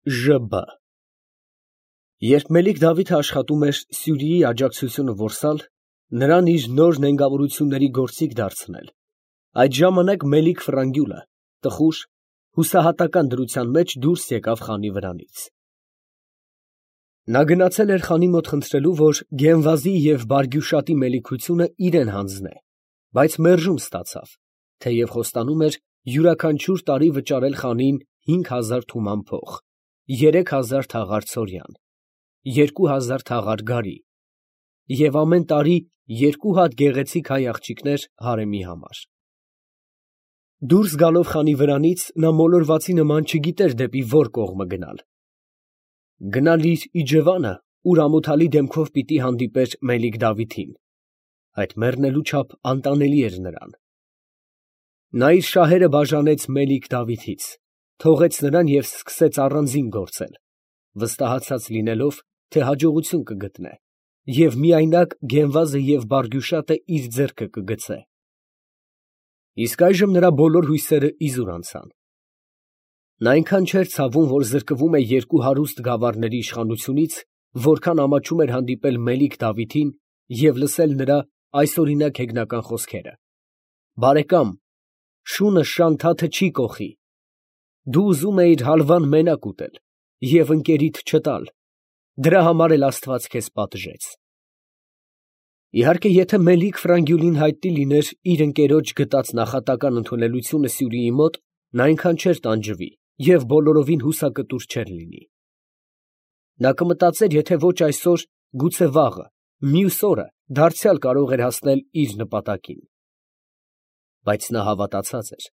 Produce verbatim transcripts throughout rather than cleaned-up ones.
Ժ B Երբ Մելիք Դավիթը աշխատում էր Սյուրիի աջակցությունը որսալ, նրան իր նոր նենգավորությունների գործիք դարձնել, այդ ժամանակ Մելիք Ֆրանգյուլը, տխուր, հուսահատական դրության մեջ դուրս եկավ խանի վրանից։ Նա գնացել էր խանի մոտ խնդրելու, որ Գենվազի և Բարգյուշատի մելիքությունը իրան հանձնե, բայց մերժում ստացավ, թեև խոստանում էր յուրաքանչյուր տարի վճարել խանին հինգ հազար թուման փող, երեք հազար թաղար ցորյան, երկու հազար թաղար գարի և ամեն տարի երկու հատ գեղեցիկ հայ աղջիկներ հարեմի համար։ Դուրս գալով խանի վրանից, նա մոլորվածի նման չգիտեր դեպի որ կողմը գնալ։ Գնալ իր իջևանը, ուր ամոթալի դեմքով պիտի հանդիպեր Մելիք Դավիթին, այդ մեռնելու չափ անտանելի էր նրան։ Նա իր շահերը բաժանեց Մելիք Դավիթից, թողեց նրան և սկսեց առանձին գործել, վստահացած լինելով, թե հաջողություն կգտնե և միայնակ Գենվազը և Բարգյուշատը իր ձեռքը կգցե։ Իսկ այժմ նրա բոլոր հույսերը իզուր անցան։ Նա այնքան չէր ցավում, որ զրկվում է երկու հարուստ գավառների իշխանությունից, որքան ամաչում էր հանդիպել Մելիք Դավիթին և լսել նրա այսօրինակ հեգնական խոսքերը. «Բարեկամ, շունը շանթաթը չի կոխի, դու ուզում էիր հալվան մենակ ուտել և ընկերիդ չտալ, դրա համար էլ աստված քեզ պատժեց»։ Իհարկե, եթե Մելիք Ֆրանգյուլին հայտնի լիներ իր ընկերոջ գտած նախատական ընդունելությունը Սյուրիի մոտ, նա այնքան չէր տանջվի և բոլորովին հուսակտուր չէր լինի։ Նա կմտածեր, եթե ոչ այսօր, գուցե վաղը, մյուս օրը դարձյալ կարող էր հասնել իր նպատակին։ Բայց նա հավատացած էր,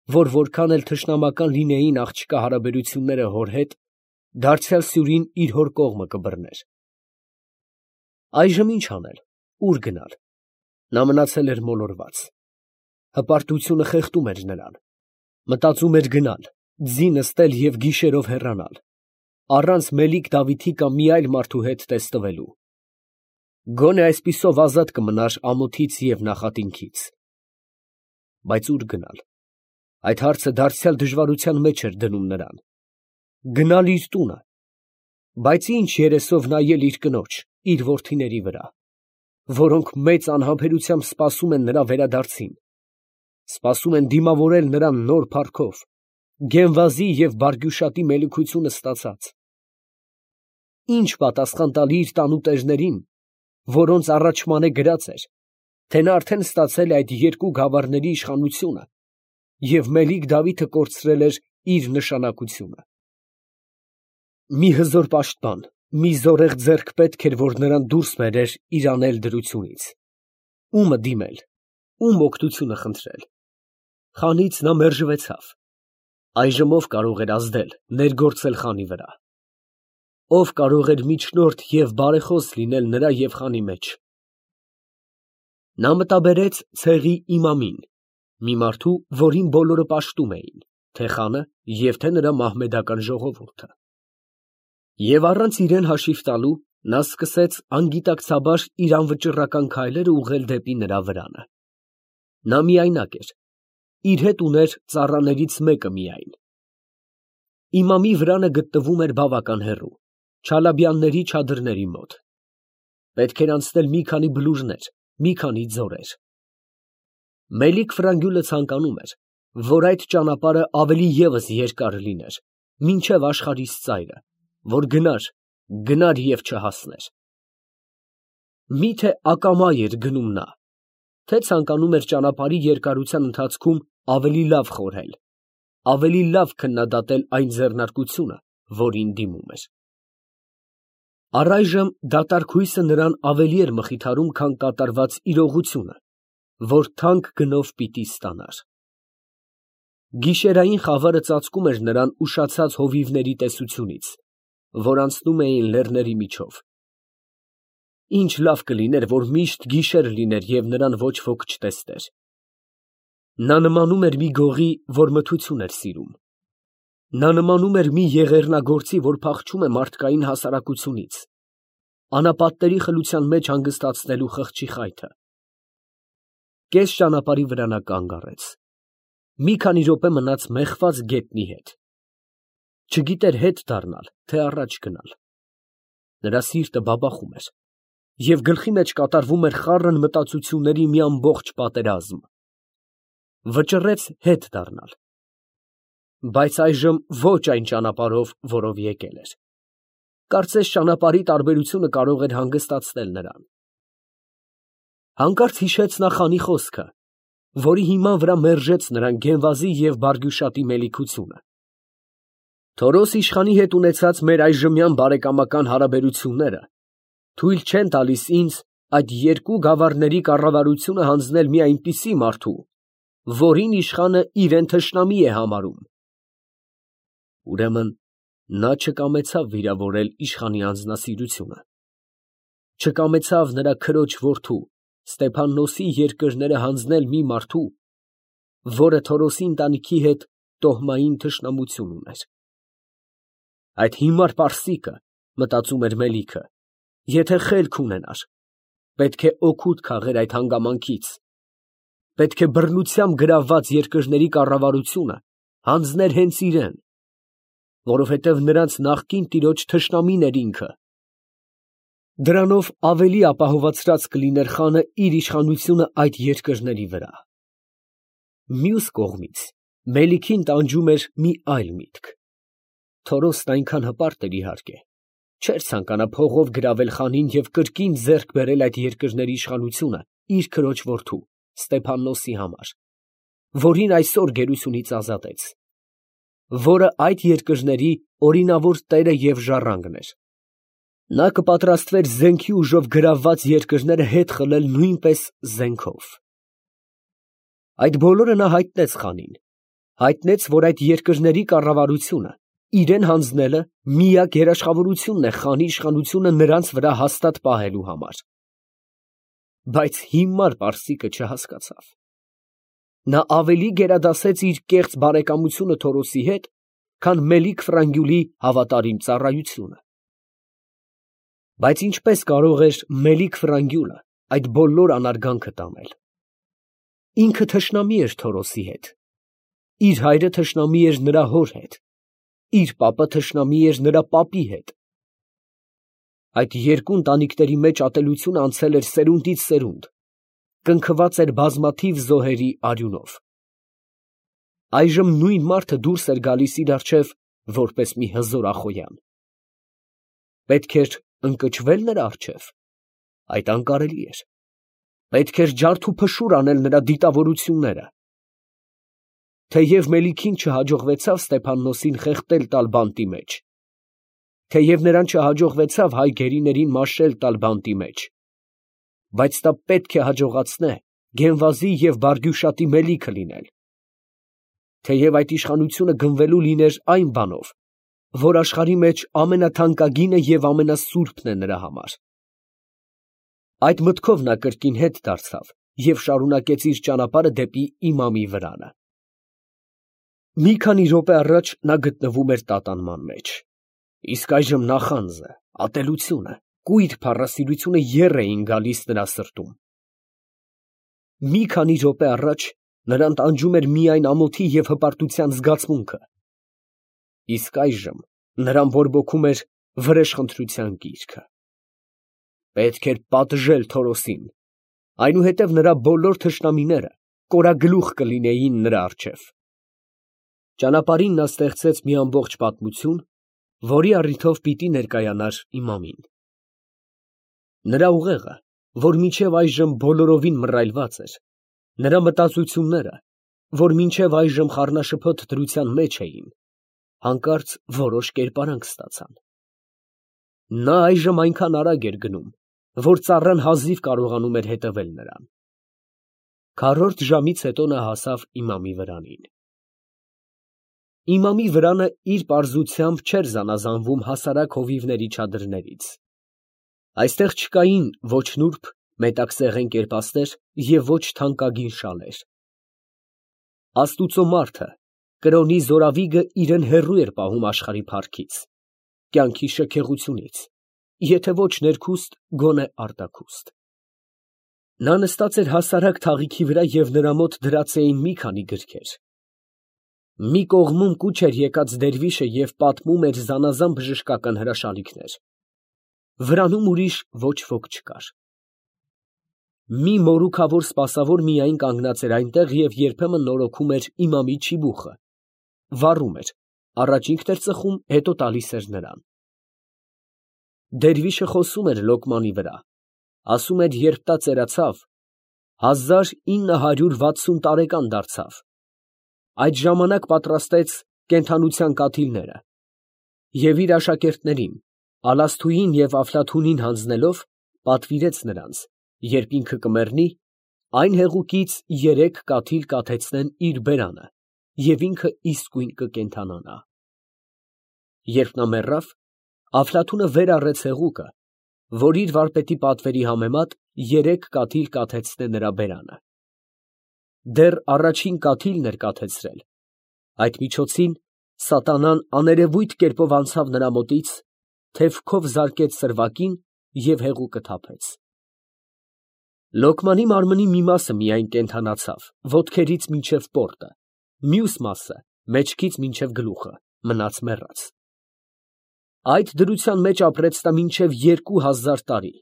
որ որքան էլ թշնամական լինեին աղջկա հարաբերությունները հոր հետ, դարձյալ Սյուրին իր հոր կողմը կբռներ։ Այժմ ի՞նչ անել, ուր գնալ։ Նա մնացել էր մոլորված։ Հպարտությունը խեղդում էր նրան։ Մտածում էր գնալ, ձի նստել և գիշերով հեռանալ, առանց Մելիք Դավիթի կամ մի այլ մարդու հետ տեսնվելու։ Գոնե այսպիսով ազատ կմնար ամոթից և նախատինքից։ Բայց ո՞ւր գնալ։ Այդ հարցը դարձյալ դժվարության մեջ էր դնում նրան։ Գնալ իր տունը։ Բայց ի՞նչ երեսով նայել իր կնոջ, իր որդիների վրա, որոնք մեծ անհամբերությամբ սպասում են նրա վերադարձին, սպասում են դիմավորել նրան նոր փառքով, Գենվազի և Բարգյուշատի մելիքությունը ստացած։ Ի՞նչ պատասխան տալ իր տանուտերներին, որոնց առաջման է գրած էր, թե նա արդեն ստացել է այդ երկու գավառների իշխանությունը և Մելիք Դավիթը կորցրել էր իր նշանակությունը։ Մի հզոր պաշտպան, մի զորեղ ձեռք պետք էր, որ նրան դուրս բերեր իր անել դրությունից։ Ո՞ւմը դիմել, ո՞ւմ օգնությունը խնդրել։ Խանից նա մերժվեցավ։ Այժմ ո՞վ կարող էր ազդել, ներգործել խանի վրա։ Ո՞վ կարող էր միջնորդ և բարեխոս լինել նրա և խանի մեջ։ Նա մտաբերեց ցեղի իմամին, մի մարդու, որին բոլորը պաշտում էին, թե՛ խանը և թե՛ նրա մահմեդական ժողովուրդը։ Եվ առանց իրան հաշիվ տալու, նա սկսեց անգիտակցաբար իր անվճռական քայլերը ուղղել դեպի նրա վրանը։ Նա միայնակ էր, իր հետ ուներ ծառաներից մեկը միայն։ Իմամի վրանը գտնվում էր բավական հեռու, Չալաբյանների չադրների մոտ։ Պետք էր անցնել մի քանի բլուրներ, մի քանի ձորեր։ Մելիք Ֆրանգյուլը ցանկանում էր, որ այդ ճանապարհը ավելի ևս երկար լիներ, մինչև աշխարհիս ծայրը, որ գնար, գնար և չհասներ։ Մի՞թե ակամա էր գնում նա, թե ցանկանում էր ճանապարհի երկարության ընթացքում ավելի լավ խորհել, ավելի լավ քննադատել այն ձեռնարկությունը, որին դիմում էր։ Առայժմ դատարկ հույսը նրան ավելի էր մխիթարում, քան կատարված իրողությունը, որ թանկ գնով պիտի ստանար։ Գիշերային խավարը ծածկում էր նրան ուշացած հովիվների տեսությունից, որ անցնում էին լեռների միջով։ Ինչ լավ կլիներ, որ միշտ գիշեր լիներ և նրան ոչ ոք չտեսներ։ Նա նմանում էր մի գողի, որ մթություն էր սիրում։ Նա նմանում էր մի եղեռնագործի, որ փախչում է մարդկային հասարակությունից, անապատների խլության մեջ հանգստացնելու խղճի խայթը։ Կես ճանապարհի վրա նա կանգ առեց։ Մի քանի րոպե մնաց մեխված գետնի հետ։ Չգիտեր հետ դառնալ, թե առաջ գնալ։ Նրա սիրտը բաբախում էր, և գլխի մեջ կատարվում էր խառն մտածությունների մի ամբողջ պատերազմ։ Վճռեց հետ դառնալ, բայց այժմ ոչ այն ճանապարհով, որով եկել էր։ Կարծես ճանապարհի տարբերությունը կարող էր հանգստացնել նրան։ Հանկարծ հիշեց նա խանի խոսքը, որի հիման վրա մերժեց նրան Գենվազի և Բարգյուշատի մելիքությունը։ Թորոս իշխանի հետ ունեցած մեր այժմյան բարեկամական հարաբերությունները թույլ չեն տալիս ինձ այդ երկու գավառների կառավարությունը հանձնել մի այնպիսի մարդու, որին իշխանը իրեն թշնամի է համարում։ Ուրեմն նա չկամեցավ վիրավորել իշխանի անձնասիրությունը, չկամեցավ նրա քրոջ որդու Ստեփաննոսի երկրները հանձնել մի մարդու, որը Թորոսի ընտանիքի հետ տոհմային թշնամություն ուներ։ Այդ հիմար պարսիկը, մտածում էր Մելիքը, եթե խելք ունենար, պետք է օգուտ քաղեր այդ հանգամանքից, պետք է բռնությամբ գրավված երկրների կառավարությունը հանձներ հենց իրան, որովհետև նրանց նախկին տիրոջ թշնամին էր ինքը։ Դրանով ավելի ապահովացրած կլիներ խանը իր իշխանությունը այդ երկրների վրա։ Մյուս կողմից Մելիքին տանջում էր մի այլ միտք։ Թորոսն այնքան հպարտ էր իհարկե, չէր ցանկանա փողով գրավել խանին և կրկին ձեռք բերել այդ երկրների իշխանությունը իր քրոջ որդու Ստեփաննոսի համար, որին այսօր գերությունից ազատեց, որը այդ երկրների օրինավոր տերը և ժառանգն էր։ Նա կպատրաստվեր զենքի ուժով գրավված երկրները հետ խլել նույնպես զենքով։ Այդ բոլորը նա հայտնեց խանին, հայտնեց, որ այդ երկրների կառավարությունը իրան հանձնելը միակ երաշխավորությունն է խանի իշխանությունը նրանց վրա հաստատ պահելու համար։ Բայց հիմար պարսիկը չհասկացավ։ Նա ավելի գերադասեց իր կեղծ բարեկամությունը Թորոսի հետ, քան Մելիք Ֆրանգյուլի հավատարիմ ծառայությունը։ Բայց ինչպես կարող էր Մելիք Ֆրանգյուլը այդ բոլոր անարգանքը տանել։ Ինքը թշնամի էր Թորոսի հետ, իր հայրը թշնամի էր նրա հոր հետ, իր պապը թշնամի էր նրա պապի հետ։ Այդ երկու ընտանիքների մեջ ատելությունը անցել էր սերունդից սերունդ, կնքված էր բազմաթիվ զոհերի արյունով։ Այժմ նույն մարդը դուրս էր գալիս իր առջև որպես մի հզոր ախոյան։ Պետք էր ընկճվել նրա առջև, այդ անկարելի էր։ Պետք էր ջարդ ու փշուր անել նրա դիտավորությունները։ Թեև Մելիքին չհաջողվեցավ Ստեփաննոսին խեղդել տալ բանտի մեջ, թեև նրան չհաջողվեցավ հայ գերիներին մաշել տալ բանտի մեջ, բայց դա պետք է հաջողացնե Գենվազի և Բարգյուշատի Մելիքը լինել, թեև այդ իշխանությունը գնվելու լիներ այն բանով, որ աշխարհի մեջ ամենաթանկագինը և ամենասուրբն է նրա համար։ Այդ մտքով նա կրկին հետ դարձավ և շարունակեց իր ճանապարհը դեպի իմամի վրանը։ Մի քանի րոպե առաջ նա գտնվում էր տատանման մեջ, իսկ այժմ նախանձը, ատելությունը, կույր փառասիրությունը եռ էին գալիս նրա սրտում։ Մի քանի րոպե առաջ նրան տանջում էր միայն ամոթի և հպարտության զգացմունքը, իսկ այժմ նրան բորբոքում էր վրեժխնդրության գիրքը։ Պետք էր պատժել Թորոսին, այնուհետև նրա բոլոր թշնամիները կորագլուխ կլինեին նրա առջև։ Ճանապարհին նա ստեղծեց մի ամբողջ պատմություն, որի առիթով պիտի ներկայանար իմամին։ Նրա ուղեղը, որ մինչև այժմ բոլորովին մռայլված էր, նրա մտածությունները, որ մինչև այժմ խառնաշփոթ դրության մեջ էին, հանկարծ որոշ կերպարանք ստացան։ Նա այժմ այնքան արագ էր գնում, որ ծառան հազիվ կարողանում էր հետևել նրան։ Քառորդ ժամից հետո նա հասավ իմամի վրանին։ Իմամի վրանը իր պարզությամբ չէր զանազանվում հասարակ հովիվների չադրներից։ Այստեղ չկային ոչ նուրբ, մետաքսեղեն կերպասներ և ոչ թանկագին շալեր։ Աստուծո մարդը, կրոնի զորավիգը իրեն հեռու էր պահում աշխարհի փառքից, կյանքի շքեղությունից, եթե ոչ ներքուստ, գոնե արտաքուստ։ Նա նստած էր հասարակ թաղիքի վրա և նրա մոտ դրած էին մի քանի գրքեր։ Մի կողմում կուչ էր եկած դերվիշը և պատմում էր զանազան բժշկական հրաշալիքներ, վրանում ուրիշ ոչ ոք չկար. մի մորուքավոր սպասավոր միայն կանգնած էր այնտեղ և երբեմն նորոգում էր իմամի չիբուխը, վառում էր, առաջ ինքն էր ծխում, հետո տալիս էր նրան։ Դերվիշը խոսում էր Լոկմանի վրա, ասում էր, երբ նա ծերացավ, հազար ինը հարյուր վաթսուն տարեկան դարձավ, այդ ժամանակ պատրաստեց կենդանության կաթիլները և իր աշակերտներին, Ալասթուին և Աֆլաթունին հանձնելով, պատվիրեց նրանց, երբ ինքը կմեռնի, այն հեղուկից երեք կաթիլ կաթեցնեն իր բերանը և ինքը իսկույն կկենդանանա։ Երբ նա մեռավ, Աֆլաթունը վեր առեց հեղուկը, որ իր վարպետի պատվերի համեմատ երեք կաթիլ կաթեցնե նրա բերանը։ Դեռ առաջին կաթիլն էր կաթեցրել, այդ միջոցին սատանան աներևույթ կերպով անցավ նրա մոտից, թևքով զարկեց սրվակին և հեղուկը թափեց։ Լոկմանի մարմնի մի մասը միայն կենդանացավ, ոտքերից մինչև պորտը, մյուս մասը, մեջքից մինչև գլուխը, մնաց մեռած։ Այդ դրության մեջ ապրեց նա մինչև երկու հազար տարի,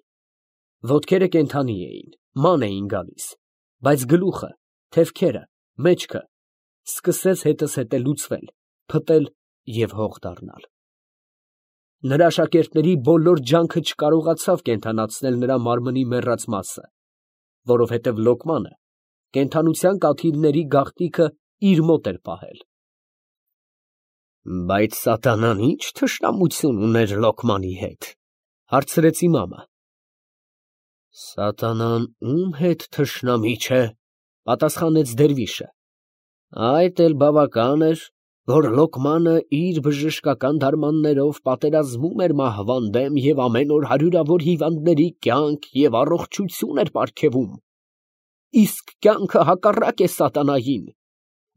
ոտքերը կենդանի էին, ման էին գալիս, բայց գլուխը, թևքերը, մեջքը սկսեց հետզհետե լուծվել, փտել և հող դառնալ։ Նրա աշակերտների բոլոր ջանքը չկարողացավ կենդանացնել նրա մարմնի մեռած մասը, որովհետև Լոկմանը կենդանության կաթիլների գաղտնիքը իր մոտ էր պահել։ Բայց սատանան ի՞նչ թշնամություն ուներ Լոկմանի հետ, հարցրեց իմամը։ Սատանան ում հետ թշնամի չէ, պատասխանեց դերվիշը, այդ էլ բավական էր, որ Լոկմանը իր բժշկական դարմաններով պատերազմում էր մահվան դեմ և ամեն օր հարյուրավոր հիվանդների կյանք և առողջություն էր պարգևում, իսկ կյանքը հակառակ է սատանային,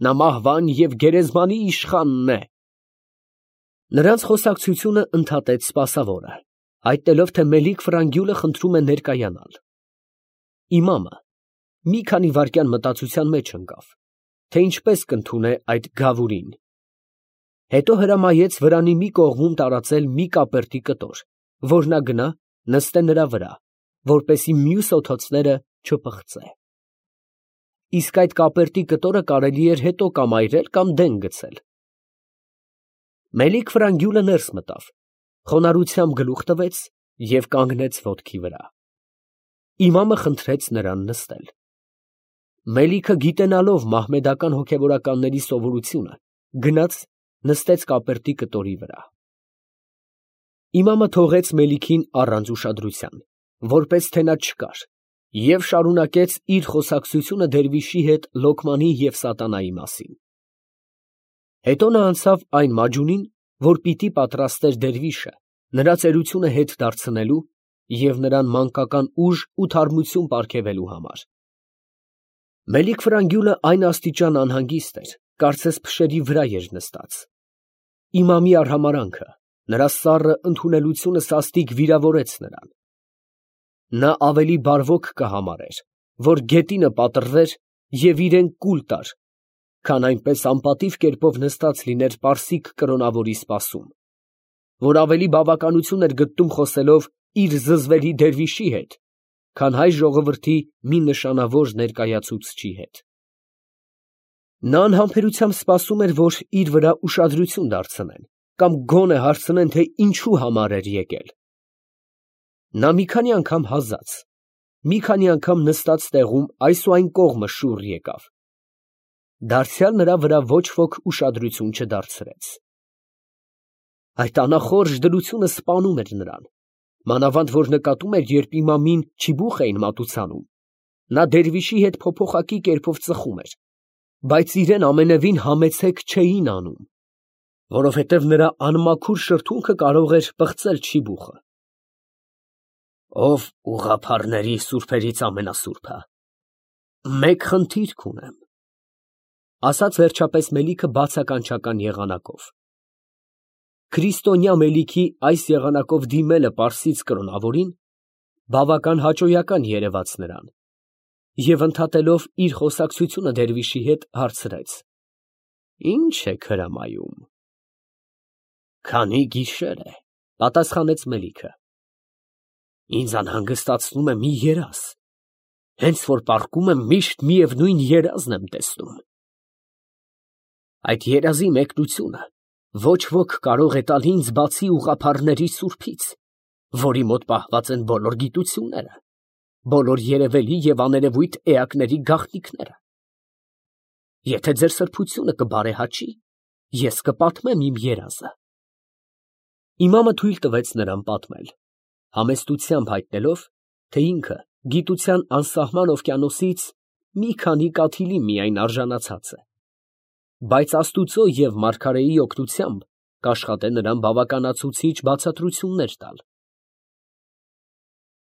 նա մահվան և գերեզմանի իշխանն է։ Նրանց խոսակցությունը ընդհատեց սպասավորը, հայտնելով, թե Մելիք֊Ֆրանգյուլը խնդրում է ներկայանալ։ Իմամը մի քանի վայրկյան մտածության մեջ ընկավ, թե ինչպես կընդունե այդ գավուրին, հետո հրամայեց վրանի մի կողմում տարածել մի կապերտի կտոր, որ նա գնա, նստե նրա վրա, որպեսզի մյուս օդոցները չպղծե։ Իսկ այդ կապերտի կտորը կարելի էր հետո կամ այրել, կամ դեն գցել։ Մելիք֊Ֆրանգյուլը ներս մտավ, խոնարհությամբ գլուխ տվեց և կանգնեց ոտքի վրա։ Իմամը խնդրեց նրան նստել։ Մելիքը, գիտենալով մահմեդական հոգևորականների սովորությունը, գնաց նստեց կապերտի կտորի վրա։ Իմամը թողեց Մելիքին առանց ուշադրության, որպես թե նա չկար, և շարունակեց իր խոսակցությունը դերվիշի հետ Լոկմանի և սատանայի մասին։ Հետո նա անցավ այն մաջունին, որ պիտի պատրաստեր դերվիշը, նրա ծերությունը հետ դարձնելու և նրան մանկական ուժ ու թարմություն պարգևելու համար։ Մելիք֊Ֆրանգյուլը այն աստիճան անհանգիստ էր, կարծես փշերի վրա էր նստած։ Իմամի արհամարհանքը, նրա սառը ընդունելությունը սաստիկ վիրավորեց նրան։ Նա ավելի բարվոք կհամարեր, որ գետինը պատռվեր և իրան կուլ տար, քան այնպես անպատիվ կերպով նստած լիներ պարսիկ կրոնավորի սպասում, որ ավելի բավականություն էր գտնում խոսելով իր զզվելի դերվիշի հետ, քան հայ ժողովրդի մի նշանավոր ներկայացուցչի հետ։ Նա անհամբերությամբ սպասում էր, որ իր վրա ուշադրություն դարձնեն, կամ գոնե հարցնեն, թե ինչու համար էր եկել։ Նա մի քանի անգամ հազաց, մի քանի անգամ նստած տեղում այս ու այն կողմը շուռ եկավ, դարձյալ նրա վրա ոչ ոք ուշադրություն չդարձրեց։ Այդ անախորժ դրությունը սպանում էր նրան, մանավանդ որ նկատում էր, երբ իմամին չիբուխ էին մատուցանում, նա դերվիշի հետ փոփոխակի կերպով ծխում էր, բայց իրան ամենևին համեցեք չէին անում, որովհետև նրա անմաքուր շրթունքը կարող էր պղծել չիբուխը։ Ով ուղղափառների սուրբերից ամենասուրբը, մեկ խնդիրք ունեմ, ասաց վերջապես Մելիքը բացականչական եղանակով։ Քրիստոնյա Մելիքի այս եղանակով դիմելը պարսից կրոնավորին բավական հաճոյական երևաց նրան, և ընդհատելով իր խոսակցությունը դերվիշի հետ, հարցրեց. Ինչ եք հրամայում։ Քանի գիշեր է, պատասխանեց Մելիքը։ Ինձ անհանգստացնում է մի երազ, հենց որ պառկում եմ, միշտ միևնույն երազն եմ տեսնում։ Այդ երազի մեկնությունը ոչ ոք կարող է տալ ինձ, բացի ուղղափառների սուրբից, որի մոտ պահված են բոլոր գիտությունները, բոլոր երևելի և աներևույթ էակների գաղտնիքները։ Եթե ձեր սրբությունը կբարեհաճի, ես կպատմեմ իմ երազը։ Իմամը թույլ տվեց նրան պատմել, համեստությամբ հայտնելով, թե ինքը գիտության անսահման օվկիանոսից մի քանի կաթիլի միայն արժանացած է, բայց Աստուծո և մարգարեի օգնությամբ կաշխատե նրան բավականացուցիչ բացատրություններ տալ։